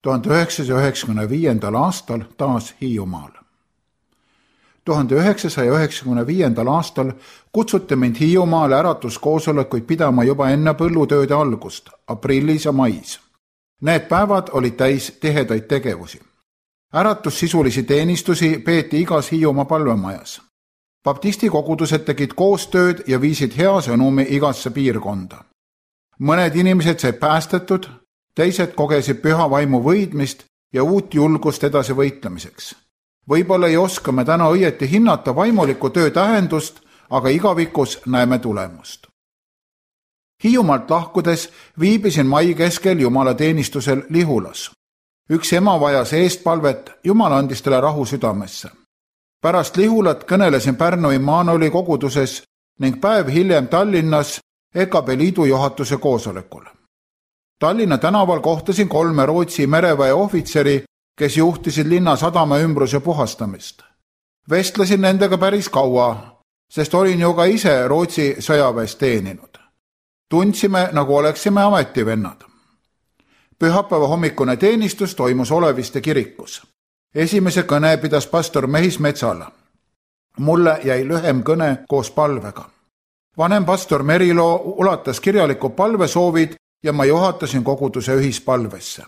1995. aastal taas Hiiumaal. 1995. aastal kutsuti mind Hiiumaale äratuskoosolekuid pidama juba enne põllutööde algust, aprillis ja mais. Need päevad olid täis tihedaid tegevusi. Äratussisulisi teenistusi peeti igas Hiiumaa palvemajas. Baptisti kogudused tegid koostööd ja viisid hea sõnumi igasse piirkonda. Mõned inimesed said päästetud, teised kogesid püha vaimu võidmist ja uut julgust edasi võitlemiseks. Võib-olla ei oska me täna õieti hinnata vaimuliku töö tähendust, aga igavikus näeme tulemust. Hiiumaalt lahkudes viibisin mai keskel jumalateenistusel Lihulas. Üks ema vajas eestpalvet, Jumal andis talle rahu südamesse. Pärast Lihulat kõnelesin Pärnu Immanueli koguduses ning päev hiljem Tallinnas EKB liidu juhatuse koosolekul. Tallinna tänaval kohtasin 3 Rootsi mereväe ohvitseri, kes juhtisid linna sadama ümbruse puhastamist. Vestlesin nendega päris kaua, sest olin ju ka ise Rootsi sõjaväes teeninud. Tundsime, nagu oleksime ametivennad. Pühapäeva hommikune teenistus toimus Oleviste kirikus. Esimese kõne pidas pastor Mehis Metsala. Mulle jäi lühem kõne koos palvega. Vanem pastor Merilo ulatas kirjaliku palvesoovid ja ma juhatasin koguduse ühispalvesse.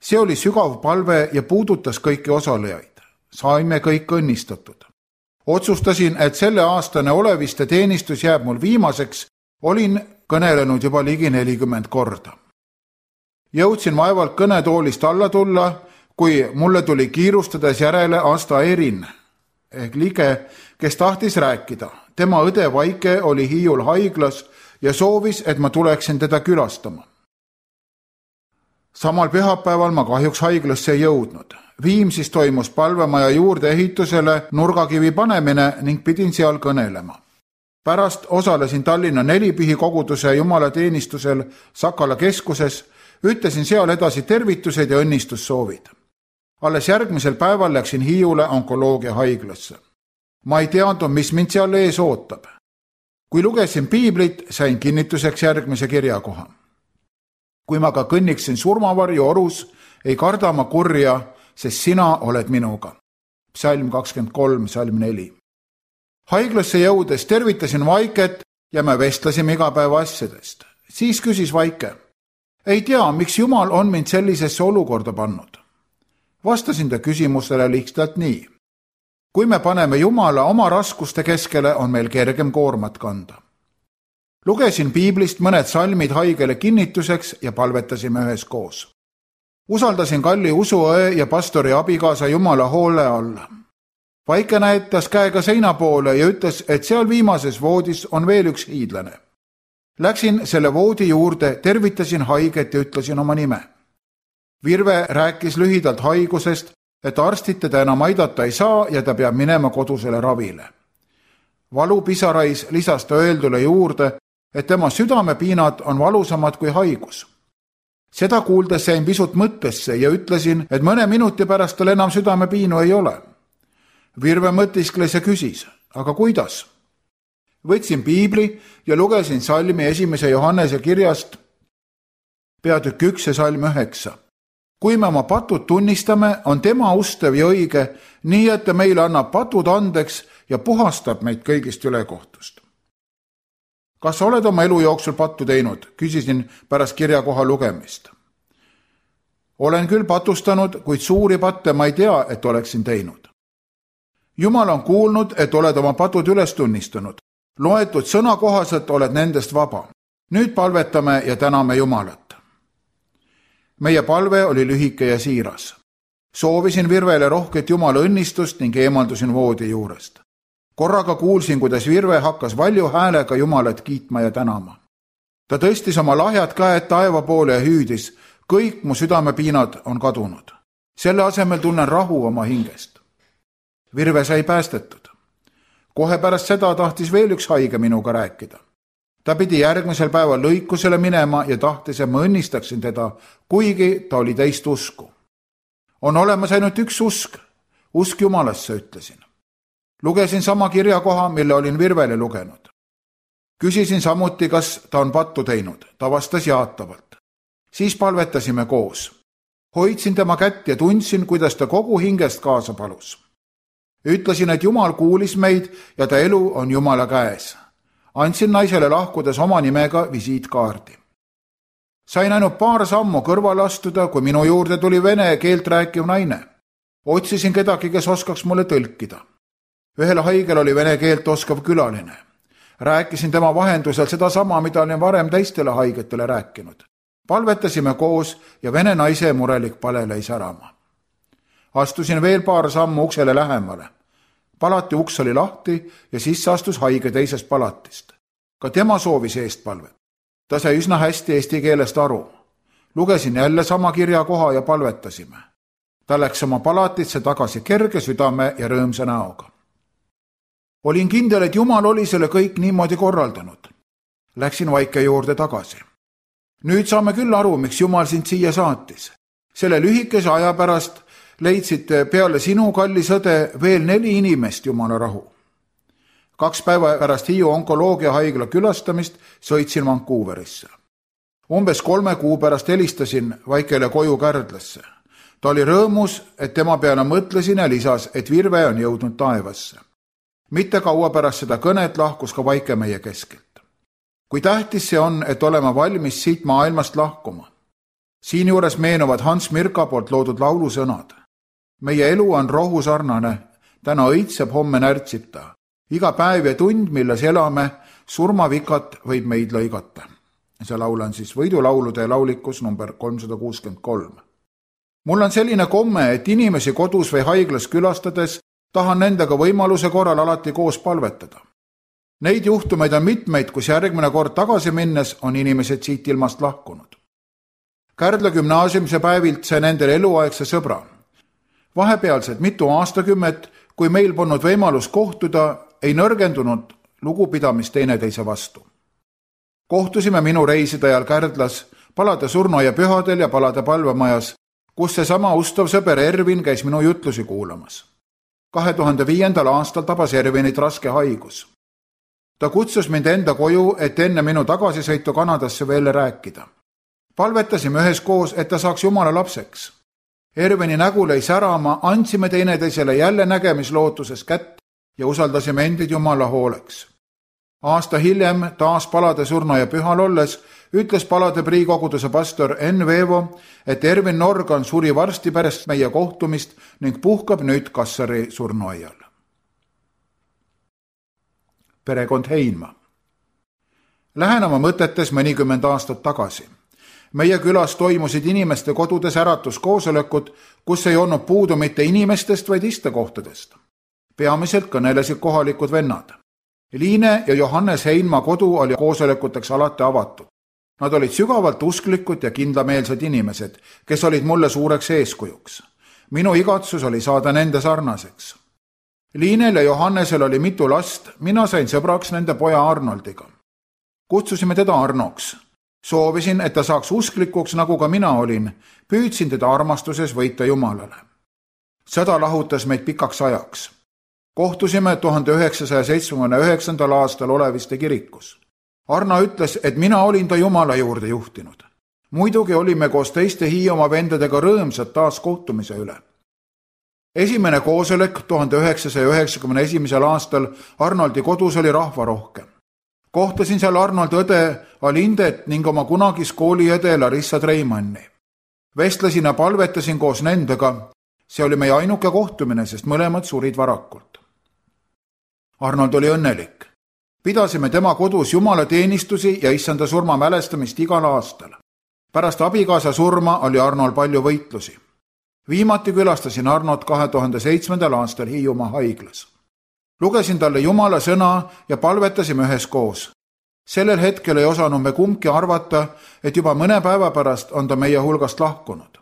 See oli sügav palve ja puudutas kõiki osalejaid. Saime kõik õnnistatud. Otsustasin, et selle aastane Oleviste teenistus jääb mul viimaseks, olin kõnelenud juba ligi 40 korda. Jõudsin vaevalt kõnetoolist alla tulla, kui mulle tuli kiirustades järele Asta Erin, ehk Lige, kes tahtis rääkida. Tema õde Vaike oli Hiiul haiglas ja soovis, et ma tuleksin teda külastama. Samal pühapäeval ma kahjuks haiglasse ei jõudnud. Viimsis toimus palvemaja juurde ehitusele nurgakivi panemine ning pidin seal kõnelema. Pärast osalesin Tallinna Nelipihi koguduse jumalateenistusel Sakala keskuses, ütlesin seal edasi tervitused ja õnnistussoovid. Alles järgmisel päeval läksin Hiiule onkoloogia haiglasse. Ma ei teadnud, mis mind seal ees ootab. Kui lugesin piiblit, sain kinnituseks järgmise kirjakoha. Kui ma ka kõnniksin surmavarju orus, ei karda ma kurja, sest sina oled minuga. Psalm 23, Psalm 4. Haiglasse jõudes tervitasin Vaiket ja me vestlesime igapäeva asjadest. Siis küsis Vaike, ei tea, miks Jumal on mind sellisesse olukorda pannud. Vastasin ta küsimusele lihtsalt nii. Kui me paneme Jumala oma raskuste keskele, on meil kergem koormat kanda. Lugesin piiblist mõned salmid haigele kinnituseks ja palvetasime üheskoos. Usaldasin kalli usuõe ja pastori abikaasa Jumala hoole alla. Vaike näitas käega seina poole ja ütles, et seal viimases voodis on veel üks hiidlane. Läksin selle voodi juurde, tervitasin haiget ja ütlesin oma nime. Virve rääkis lühidalt haigusest, et arstid teda enam aidata ei saa ja ta peab minema kodusele ravile. Valupisarais lisas ta öeldule juurde, et tema südamepiinad on valusamad kui haigus. Seda kuuldes sain pisut mõttesse ja ütlesin, et mõne minuti pärast tal enam südamepiinu ei ole. Virve mõtiskles ja küsis, aga kuidas? Võtsin piibli ja lugesin salmi 1. Johannese kirjast peatükk 1 ja salm 9. Kui me oma patud tunnistame, on tema ustev ja õige, nii et ta meile annab patud andeks ja puhastab meid kõigist ülekohtust. Kas sa oled oma elu jooksul pattu teinud? Küsisin pärast kirjakoha lugemist. Olen küll patustanud, kuid suuri patte ma ei tea, et oleksin teinud. Jumal on kuulnud, et oled oma patud üles tunnistanud. Loetud sõna kohaselt oled nendest vaba. Nüüd palvetame ja täname Jumalat. Meie palve oli lühike ja siiras. Soovisin Virvele rohket Jumala õnnistust ning eemaldusin voodi juurest. Korraga kuulsin, kuidas Virve hakkas valju häälega Jumalat kiitma ja tänama. Ta tõstis oma lahjad käed taeva poole ja hüüdis, kõik mu südamepiinad on kadunud. Selle asemel tunnen rahu oma hingest. Virve sai päästetud. Kohe pärast seda tahtis veel üks haige minuga rääkida. Ta pidi järgmisel päeval lõikusele minema ja tahtis, et ma õnnistaksin teda, kuigi ta oli teist usku. On olemas ainult üks usk. Usk Jumalasse, ütlesin. Lugesin sama kirjakoha, mille olin Virvele lugenud. Küsisin samuti, kas ta on pattu teinud. Ta vastas jaatavalt. Siis palvetasime koos. Hoidsin tema kätt ja tundsin, kuidas ta kogu hingest kaasa palus. Ütlesin, et Jumal kuulis meid ja ta elu on Jumala käes. Andsin naisele lahkudes oma nimega visiitkaardi. Sain ainult paar sammu kõrvale astuda, kui minu juurde tuli vene keelt rääkiv naine. Otsisin kedagi, kes oskaks mulle tõlkida. Ühel haigel oli vene keelt oskav külaline. Rääkisin tema vahendusel sedasama, mida olin varem teistele haigetele rääkinud. Palvetasime koos ja vene naise murelik pale lõi särama. Astusin veel paar sammu uksele lähemale. Palati uks oli lahti ja sisse astus haige teisest palatist. Ka tema soovis eestpalvet. Ta sai üsna hästi eesti keelest aru. Lugesin jälle sama kirjakoha ja palvetasime. Ta läks oma palatisse tagasi kerge südame ja rõõmsa näoga. Olin kindel, et Jumal oli selle kõik niimoodi korraldanud. Läksin Vaike juurde tagasi. Nüüd saame küll aru, miks Jumal sind siia saatis. Selle lühikese aja pärast leidsid peale sinu, kallis õde, veel 4 inimest Jumala rahu. 2 päeva pärast Hiiu onkoloogiahaigla külastamist sõitsin Vancouverisse. Umbes 3 kuu pärast helistasin Vaikele koju Kärdlasse. Ta oli rõõmus, et tema peale mõtlesin ja lisas, et virve on jõudnud taevasse. Mitte kaua pärast seda kõnet lahkus ka Vaike meie keskelt. Kui tähtis see on, et oleme valmis siit maailmast lahkuma. Siinjuures meenuvad Hans Mirka poolt loodud laulusõnad. Meie elu on rohusarnane, täna õitseb, homme närtsib ta. Iga päev ja tund, milles elame, surmavikat võib meid lõigata. See laul on siis võidulaulude laulikus number 363. Mul on selline komme, et inimesi kodus või haiglas külastades tahan nendega võimaluse korral alati koos palvetada. Neid juhtumeid on mitmeid, kus järgmine kord tagasi minnes on inimesed siit ilmast lahkunud. Kärdla gümnaasiumise päevilt sai nendel eluaegse sõbra. Vahepealsed mitu aastakümmet, kui meil polnud võimalus kohtuda, ei nõrgendunud lugupidamist teineteise vastu. Kohtusime minu reiside ajal Kärdlas, palade surnuaia pühadel ja palade palvemajas, kus seesama ustav sõber Ervin käis minu jutlusi kuulamas. 2005. aastal tabas Ervinit raske haigus. Ta kutsus mind enda koju, et enne minu tagasisõitu Kanadasse veel rääkida. Palvetasime üheskoos, et ta saaks Jumala lapseks. Ervini nägu lõi särama, andsime teineteisele jälle nägemislootuses kätt ja usaldasime endid Jumala hooleks. Aasta hiljem, taas palade surnuaia pühal olles, ütles palade priikoguduse pastor Enn Veevo, et Ervin Norgan suri varsti pärast meie kohtumist ning puhkab nüüd Kassari surnuaial. Perekond Heinma. Lähen oma mõtetes mõnikümmend aastat tagasi. Meie külas toimusid inimeste kodudes äratuskoosolekud, kus ei olnud puudu mitte inimestest, vaid istekohtadest. Peamiselt kõnelesid kohalikud vennad. Liine ja Johannes Heinma kodu oli koosolekuteks alati avatud. Nad olid sügavalt usklikud ja kindlameelsed inimesed, kes olid mulle suureks eeskujuks. Minu igatsus oli saada nende sarnaseks. Liinel ja Johannesel oli mitu last, mina sain sõbraks nende poja Arnoldiga. Kutsusime teda Arnoks. Soovisin, et ta saaks usklikuks, nagu ka mina olin. Püüdsin teda armastuses võita Jumalale. Sõda lahutas meid pikaks ajaks. Kohtusime 1979. aastal Oleviste kirikus. Arno ütles, et mina olin ta Jumala juurde juhtinud. Muidugi olime koos teiste Hiiumaa vendadega rõõmsad taas kohtumise üle. Esimene koosolek 1991. aastal Arnoldi kodus oli rahvarohke. Kohtasin seal Arnoldi õde Alindet ning oma kunagis kooliõde Larissa Treimanni. Vestlesin ja palvetasin koos nendega. See oli meie ainuke kohtumine, sest mõlemad surid varakult. Arnold oli õnnelik. Pidasime tema kodus Jumala teenistusi ja issanda surma mälestamist igal aastal. Pärast abikaasa surma oli Arnold palju võitlusi. Viimati külastasin Arnold 2007. aastal Hiiumaa haiglas. Lugesin talle Jumala sõna ja palvetasime üheskoos. Sellel hetkel ei osanud me kumbki arvata, et juba mõne päeva pärast on ta meie hulgast lahkunud.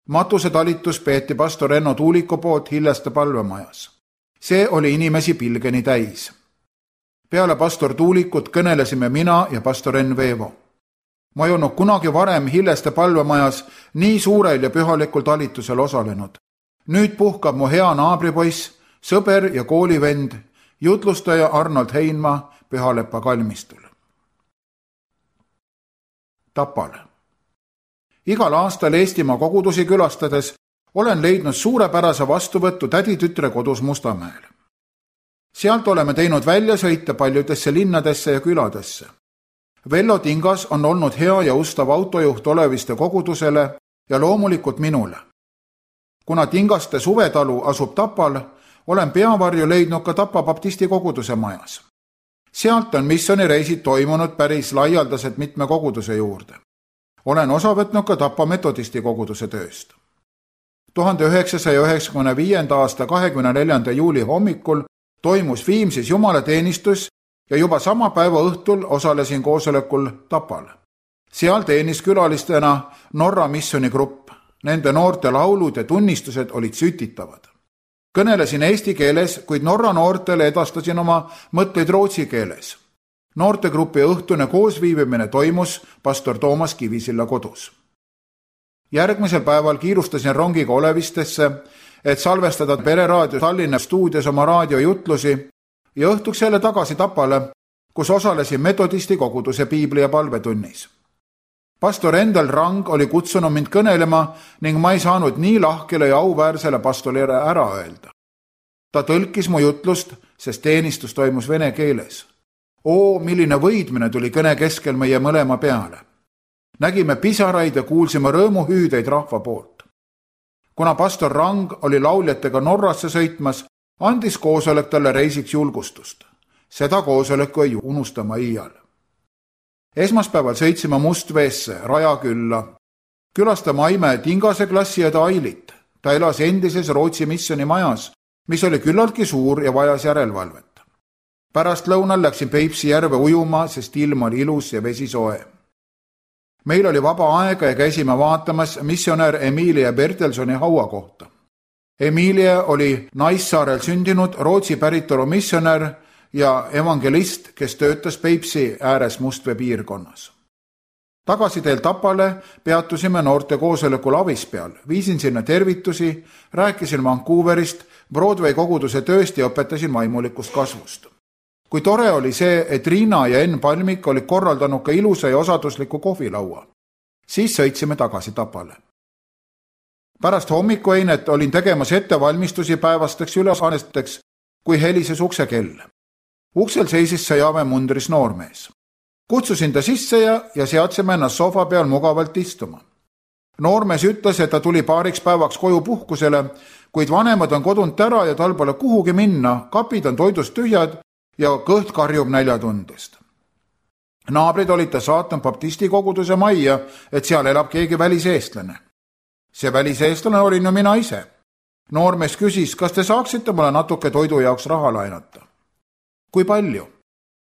Matuse talitus peeti pastor Enno Tuuliku poolt Hilleste palvemajas. See oli inimesi pilgeni täis. Peale pastor Tuulikut kõnelesime mina ja pastor Enn Veevo. Ma ei olnud kunagi varem Hilleste palvemajas nii suurel ja pühalikul talitusel osalenud. Nüüd puhkab mu hea naabripoiss, sõber ja koolivend, jutlustaja Arnold Heinma Pühalepa kalmistul. Tapal. Igal aastal Eestimaa kogudusi külastades olen leidnud suurepärase vastuvõttu täditütre kodus Mustamäel. Sealt oleme teinud väljasõite paljudesse linnadesse ja küladesse. Vello Tingas on olnud hea ja ustav autojuht Oleviste kogudusele ja loomulikult minule. Kuna Tingaste suvetalu asub Tapal, olen peavarju leidnud ka Tapa baptisti koguduse majas. Sealt on missioonireisid toimunud päris laialdaselt mitme koguduse juurde. Olen osa võtnud ka Tapa metodisti koguduse tööst. 1995. aasta 24. juuli hommikul toimus Viimsis jumalateenistus ja juba sama päeva õhtul osalesin koosolekul Tapal. Seal teenis külalistena Norra missioonigrupp. Nende noorte laulud ja tunnistused olid sütitavad. Kõnelesin eesti keeles, kuid Norra noortele edastasin oma mõtteid rootsi keeles. Noortegrupi õhtune koosviibimine toimus pastor Toomas Kivisilla kodus. Järgmisel päeval kiirustasin rongiga Olevistesse, et salvestada Pereraadio Tallinna stuudios oma raadiojutlusi ja õhtuks jälle tagasi Tapale, kus osalesin metodisti koguduse piibli- ja palvetunnis. Pastor Endel Rang oli kutsunud mind kõnelema ning ma ei saanud nii lahkele ja auväärsele pastorile ära öelda. Ta tõlkis mu jutlust, sest teenistus toimus vene keeles. Milline võidmine tuli kõne keskel meie mõlema peale. Nägime pisaraid ja kuulsime rõõmuhüüdeid rahva poolt. Kuna pastor Rang oli lauljatega Norrasse sõitmas, andis koosolek talle reisiks julgustust. Seda koosoleku ei unustama iial. Esmaspäeval sõitsime Mustveesse, Rajakülla. Külastama Aime Tingase klassiõde Ailit. Ta elas endises Rootsi missiooni majas, mis oli küllaltki suur ja vajas järelevalvet. Pärast lõunal läksin Peipsi järve ujuma, sest ilm oli ilus ja vesi soe. Meil oli vaba aega ja käisime vaatamas missionär Emilia Bertelsoni hauakohta. Emilia oli Naissaarel sündinud Rootsi päritolu missionär ja evangelist, kes töötas Peipsi ääres Mustvee piirkonnas. Tagasiteel Tapale peatusime noorte koosolekul Avispeal, viisin sinna tervitusi, rääkisin Vancouverist, Broadway koguduse tööst ja õpetasin vaimulikust kasvust. Kui tore oli see, et Riina ja Enn Palmik olid korraldanud ka ilusa ja osadusliku kohvilaua. Siis sõitsime tagasi Tapale. Pärast hommikueinet olin tegemas ettevalmistusi päevasteks ülesanneteks, kui helises uksekell. Uksel seisis Sõjaväe mundris noormees. Kutsusin ta sisse ja seadsime ennast sofa peal mugavalt istuma. Noormees ütles, et ta tuli paariks päevaks koju puhkusele, kuid vanemad on kodunt ära ja tal pole kuhugi minna, kapid on toidust tühjad ja kõht karjub näljatundest. Naabrid olid ta saatnud baptisti koguduse majja, et seal elab keegi väliseestlane. See väliseestlane olin ju mina ise. Noormees küsis, kas te saaksite mulle natuke toidu jaoks raha laenata. Kui palju?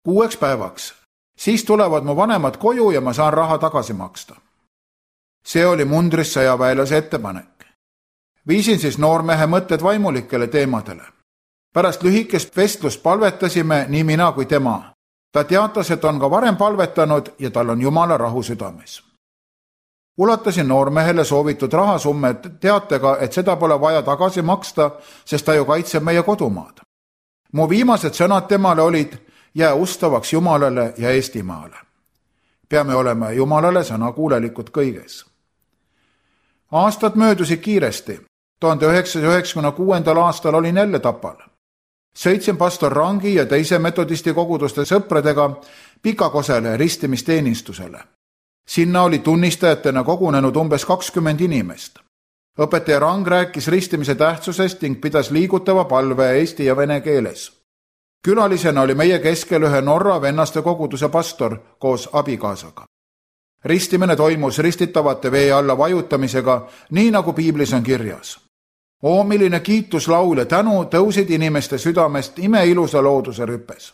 6 päevaks. Siis tulevad mu vanemad koju ja ma saan raha tagasi maksta. See oli mundris sõjaväelase ettepanek. Viisin siis noormehe mõtted vaimulikele teemadele. Pärast lühikest vestlust palvetasime nii mina kui tema. Ta teatas, et on ka varem palvetanud ja tal on Jumala rahu südames. Ulatasin noormehele soovitud rahasummet teatega, et seda pole vaja tagasi maksta, sest ta ju kaitseb meie kodumaad. Mu viimased sõnad temale olid: jää ustavaks Jumalale ja Eestimaale. Peame olema Jumalale sõnakuulelikud kõiges. Aastad möödusid kiiresti. 1996. aastal olin jälle Tapal. Sõitsin pastor Rangi ja teise metodisti koguduste sõpradega Pikakosele ristimisteenistusele. Sinna oli tunnistajatena kogunenud umbes 20 inimest. Õpetaja Rang rääkis ristimise tähtsusest ning pidas liigutava palve eesti ja vene keeles. Külalisena oli meie keskel ühe Norra vennaste koguduse pastor koos abikaasaga. Ristimine toimus ristitavate vee alla vajutamisega, nii nagu piiblis on kirjas. Milline kiituslaul ja tänu tõusid inimeste südamest imeilusa looduse rüpes.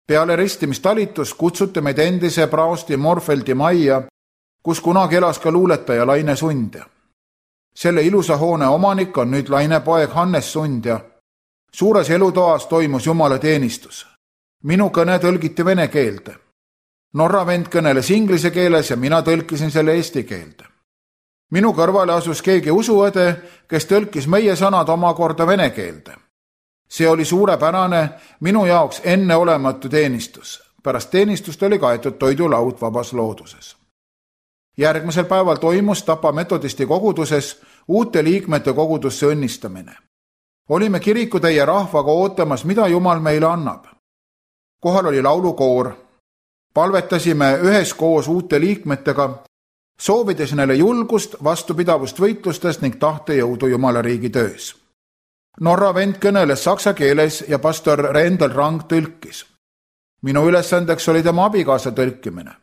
Peale ristimistalitus kutsuti meid endise praosti Morfeldi majja, kus kunagi elas ka luuletaja Laine Sundja. Selle ilusa hoone omanik on nüüd Laine poeg Hannes Sundja. Suures elutoas toimus jumalateenistus. Minu kõne tõlgiti vene keelde. Norra vend kõneles inglise keeles ja mina tõlkisin selle eesti keelde. Minu kõrvale asus keegi usuõde, kes tõlkis meie sõnad omakorda vene keelde. See oli suurepärane, minu jaoks enneolematu teenistus. Pärast teenistust oli kaetud toidulaud vabas looduses. Järgmisel päeval toimus Tapa metodisti koguduses uute liikmete kogudusse õnnistamine. Olime kirikutäie rahvaga ootamas, mida Jumal meile annab. Kohal oli laulukoor. Palvetasime üheskoos uute liikmetega, soovides neile julgust, vastupidavust võitlustes ning tahtejõudu Jumala riigi töös. Norra vend kõneles saksa keeles ja pastor Rendel Rang tõlkis. Minu ülesandeks oli tema abikaasa tõlkimine.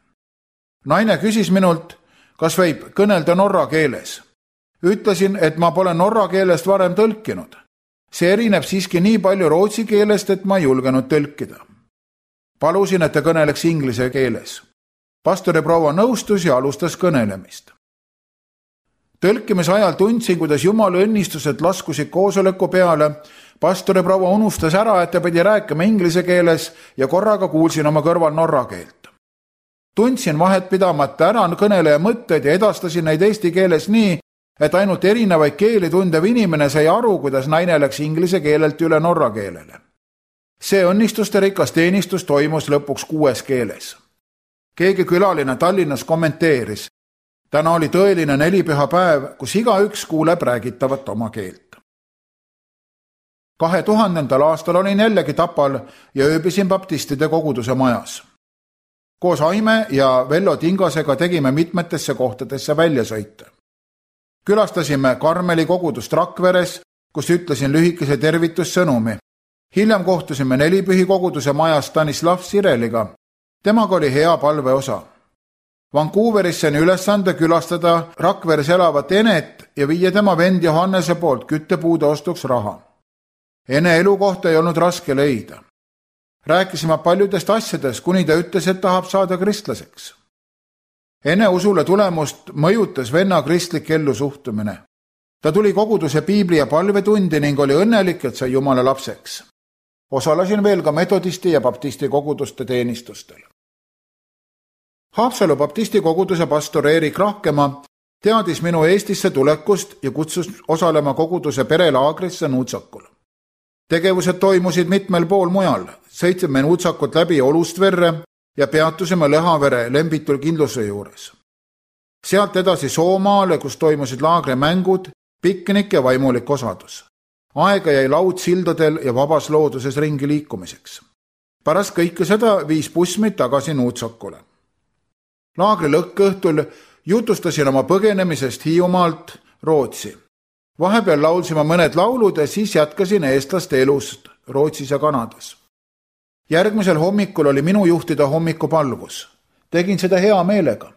Naine küsis minult, kas võib kõnelda norra keeles. Ütlesin, et ma pole norra keelest varem tõlkinud. See erineb siiski nii palju rootsi keelest, et ma ei julgenud tõlkida. Palusin, et ta kõneleks inglise keeles. Pastori proua nõustus ja alustas kõnelemist. Tõlkimise ajal tundsin, kuidas Jumala õnnistused laskusid koosoleku peale. Pastori proua unustas ära, et ta pidi rääkima inglise keeles ja korraga kuulsin oma kõrval norra keelt. Tundsin vahet pidamata ära kõneleja mõtted ja edastasin neid eesti keeles nii, et ainult erinevaid keeli tundev inimene sai aru, kuidas naine läks inglise keelelt üle norra keelele. See õnnistuste rikas teenistus toimus lõpuks 6 keeles. Keegi külaline Tallinnas kommenteeris, täna oli tõeline nelipüha päev, kus igaüks kuuleb räägitavat oma keelt. 2000. aastal olin jällegi Tapal ja ööbisin baptistide koguduse majas. Koos Aime ja Vello Tingasega tegime mitmetesse kohtadesse väljasõite. Külastasime Karmeli kogudust Rakveres, kus ütlesin lühikese tervitussõnumi. Hiljem kohtusime Nelipühi koguduse majas Stanislav Sireliga. Temaga oli hea palveosa. Vancouveris sain ülesande külastada Rakveres elavat Enet ja viia tema vend Johannese poolt küttepuude ostuks raha. Ene elukohta ei olnud raske leida. Rääkisime paljudest asjadest, kuni ta ütles, et tahab saada kristlaseks. Ene usule tulemust mõjutas venna kristlik ellusuhtumine. Ta tuli koguduse piibli ja palvetundi ning oli õnnelik, et sai Jumala lapseks. Osalesin veel ka metodisti ja baptisti koguduste teenistustel. Haapsalu baptisti koguduse pastor Erik Rahkemaa teadis minu Eestisse tulekust ja kutsus osalema koguduse perelaagrisse Nuutsakul. Tegevused toimusid mitmel pool mujal. Sõitsime Nuutsakut läbi Olustverre ja peatusime Lõhavere Lembitul kindluse juures. Sealt edasi Soomaale, kus toimusid laagrimängud, piknik ja vaimulik osadus. Aega jäi laud sildadel ja vabas looduses ringi liikumiseks. Pärast kõike seda viis bussmeid tagasi Nuutsakule. Laagri lõkkõhtul jutustasin oma põgenemisest Hiiumaalt Rootsi. Vahepeal laulsime mõned laulud ja siis jätkasin eestlaste elust Rootsis ja Kanadas. Järgmisel hommikul oli minu juhtida hommikupalvus. Tegin seda hea meelega.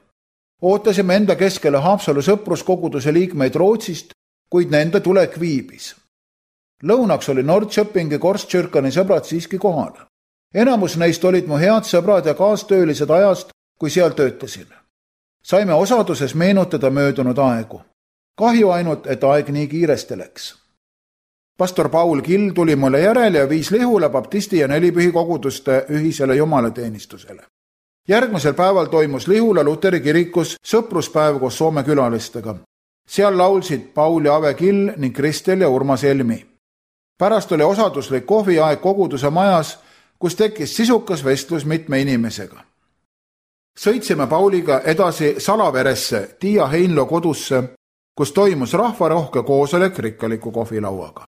Ootasime enda keskele Haapsalu sõpruskoguduse liikmeid Rootsist, kuid nende tulek viibis. Lõunaks oli Nordköpingi Korstkyrkani sõbrad siiski kohal. Enamus neist olid mu head sõbrad ja kaastöölised ajast, kui seal töötasin. Saime osaduses meenutada möödunud aegu. Kahju ainult, et aeg nii kiiresti läks. Pastor Paul Kill tuli mulle järele ja viis Lihula baptisti ja Nelipühi koguduste ühisele jumalateenistusele. Järgmisel päeval toimus Lihula Luteri kirikus sõpruspäev koos Soome külalistega. Seal laulsid Paul ja Ave Kill ning Kristel ja Urmas Helmi. Pärast oli osaduslik kohviaeg koguduse majas, kus tekkis sisukas vestlus mitme inimesega. Sõitsime Pauliga edasi Salaveresse, Tiia Heinlo kodusse, kus toimus rahvarohke koosolek rikkaliku kohvilauaga.